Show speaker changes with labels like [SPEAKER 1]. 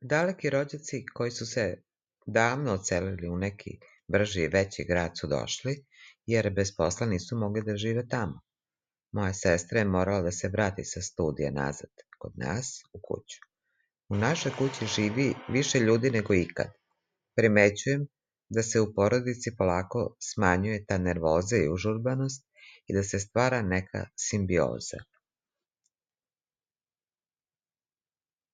[SPEAKER 1] Daleki rođaci koji su se davno odselili u neki brži i veći grad su došli, jer bez posla nisu mogli da žive tamo. Moja sestra je morala da se vrati sa studija nazad, kod nas, u kuću. U našoj kući živi više ljudi nego ikad. Primećujem da se u porodici polako smanjuje ta nervoza i užurbanost i da se stvara neka simbioza.